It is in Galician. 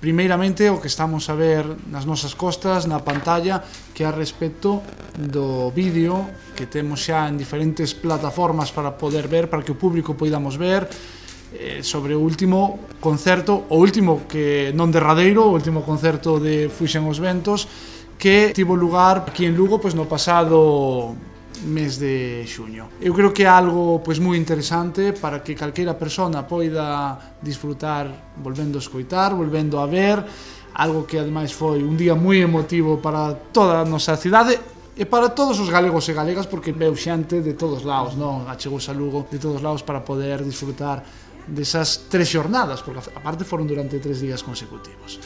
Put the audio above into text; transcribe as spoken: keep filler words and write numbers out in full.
Primeiramente, o que estamos a ver nas nosas costas, na pantalla, que é a respecto do vídeo que temos xa en diferentes plataformas para poder ver, para que o público poidamos ver, eh, sobre o último concerto, o último que non derradeiro, o último concerto de Fuixen os Ventos, que tivo lugar aquí en Lugo pois, no pasado mes de xuño. Eu creo que é algo pois moi interesante para que calquera persona poida disfrutar volvendo a escoitar, volvendo a ver, algo que ademais foi un día moi emotivo para toda a nosa cidade e para todos os galegos e galegas, porque veu xente de todos lados, non? Achegouse a Lugo de todos lados para poder disfrutar desas tres xornadas, porque aparte foron durante tres días consecutivos.